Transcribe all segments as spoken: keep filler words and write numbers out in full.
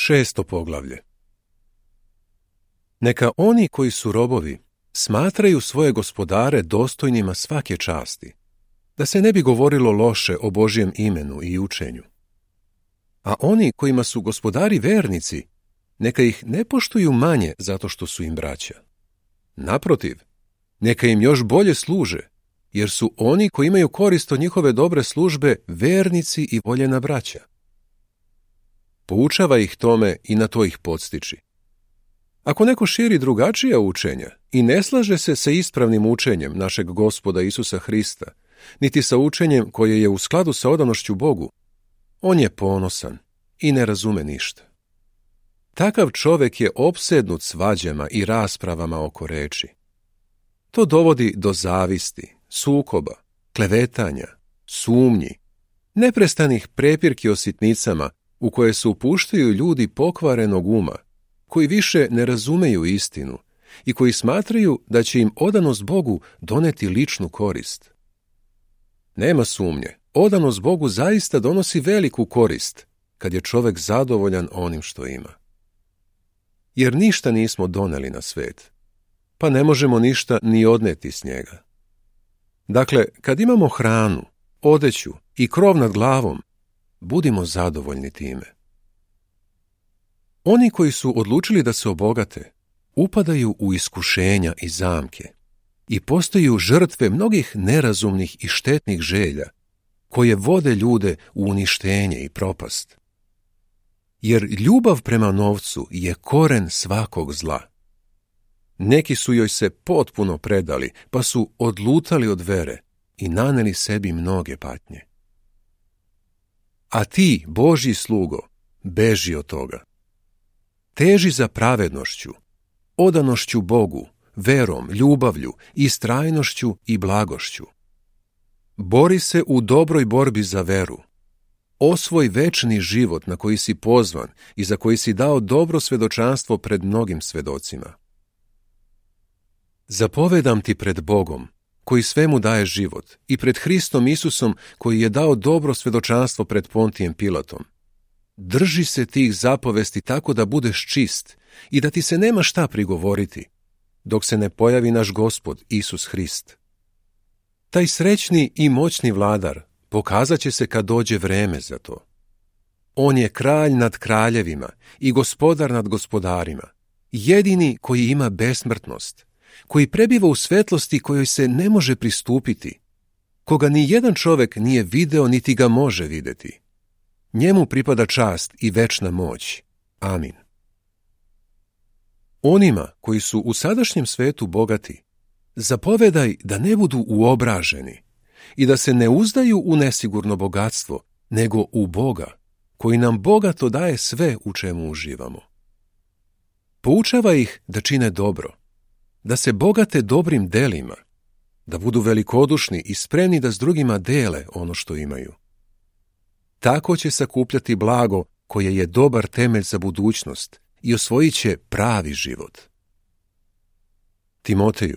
Šesto poglavlje. Neka oni koji su robovi smatraju svoje gospodare dostojnima svake časti, da se ne bi govorilo loše o Božjem imenu i učenju. A oni kojima su gospodari vernici, neka ih ne poštuju manje zato što su im braća. Naprotiv, neka im još bolje služe, jer su oni koji imaju korist od njihove dobre službe vernici i voljena braća. Poučava ih tome i na to ih podstiči. Ako neko širi drugačija učenja i ne slaže se sa ispravnim učenjem našeg Gospoda Isusa Hrista, niti sa učenjem koje je u skladu sa odanošću Bogu, on je ponosan i ne razume ništa. Takav čovek je opsednut svađama i raspravama oko reči. To dovodi do zavisti, sukoba, klevetanja, sumnji, neprestanih prepirki o sitnicama u koje se upuštaju ljudi pokvarenog uma, koji više ne razumeju istinu i koji smatraju da će im odanost Bogu doneti ličnu korist. Nema sumnje, odanost Bogu zaista donosi veliku korist kad je čovek zadovoljan onim što ima. Jer ništa nismo doneli na svet, pa ne možemo ništa ni odneti s njega. Dakle, kad imamo hranu, odeću i krov nad glavom, budimo zadovoljni time. Oni koji su odlučili da se obogate, upadaju u iskušenja i zamke i postaju žrtve mnogih nerazumnih i štetnih želja, koje vode ljude u uništenje i propast. Jer ljubav prema novcu je koren svakog zla. Neki su joj se potpuno predali, pa su odlutali od vere i naneli sebi mnoge patnje. A ti, Božji slugo, beži od toga. Teži za pravednošću, odanošću Bogu, verom, ljubavlju, istrajnošću i blagošću. Bori se u dobroj borbi za veru. Osvoj večni život na koji si pozvan i za koji si dao dobro svedočanstvo pred mnogim svedocima. Zapovedam ti pred Bogom, koji svemu daje život, i pred Hristom Isusom, koji je dao dobro svedočanstvo pred Pontijem Pilatom. Drži se tih zapovesti tako da budeš čist i da ti se nema šta prigovoriti, dok se ne pojavi naš Gospod Isus Hrist. Taj srećni i moćni vladar pokazat će se kad dođe vreme za to. On je kralj nad kraljevima i gospodar nad gospodarima, jedini koji ima besmrtnost, koji prebiva u svetlosti kojoj se ne može pristupiti, koga ni jedan čovek nije video niti ga može videti. Njemu pripada čast i večna moć. Amin. Onima koji su u sadašnjem svetu bogati, zapovedaj da ne budu uobraženi i da se ne uzdaju u nesigurno bogatstvo, nego u Boga, koji nam bogato daje sve u čemu uživamo. Poučava ih da čine dobro, da se bogate dobrim delima, da budu velikodušni i spremni da s drugima dele ono što imaju. Tako će sakupljati blago koje je dobar temelj za budućnost i osvojit će pravi život. Timoteju,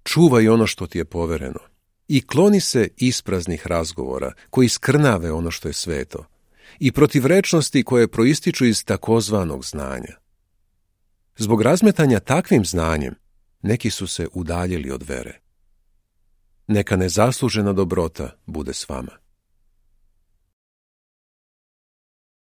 čuvaj ono što ti je povereno i kloni se ispraznih razgovora koji skrnave ono što je sveto i protivrečnosti koje proističu iz takozvanog znanja. Zbog razmetanja takvim znanjem neki su se udaljili od vere. Neka nezaslužena dobrota bude s vama.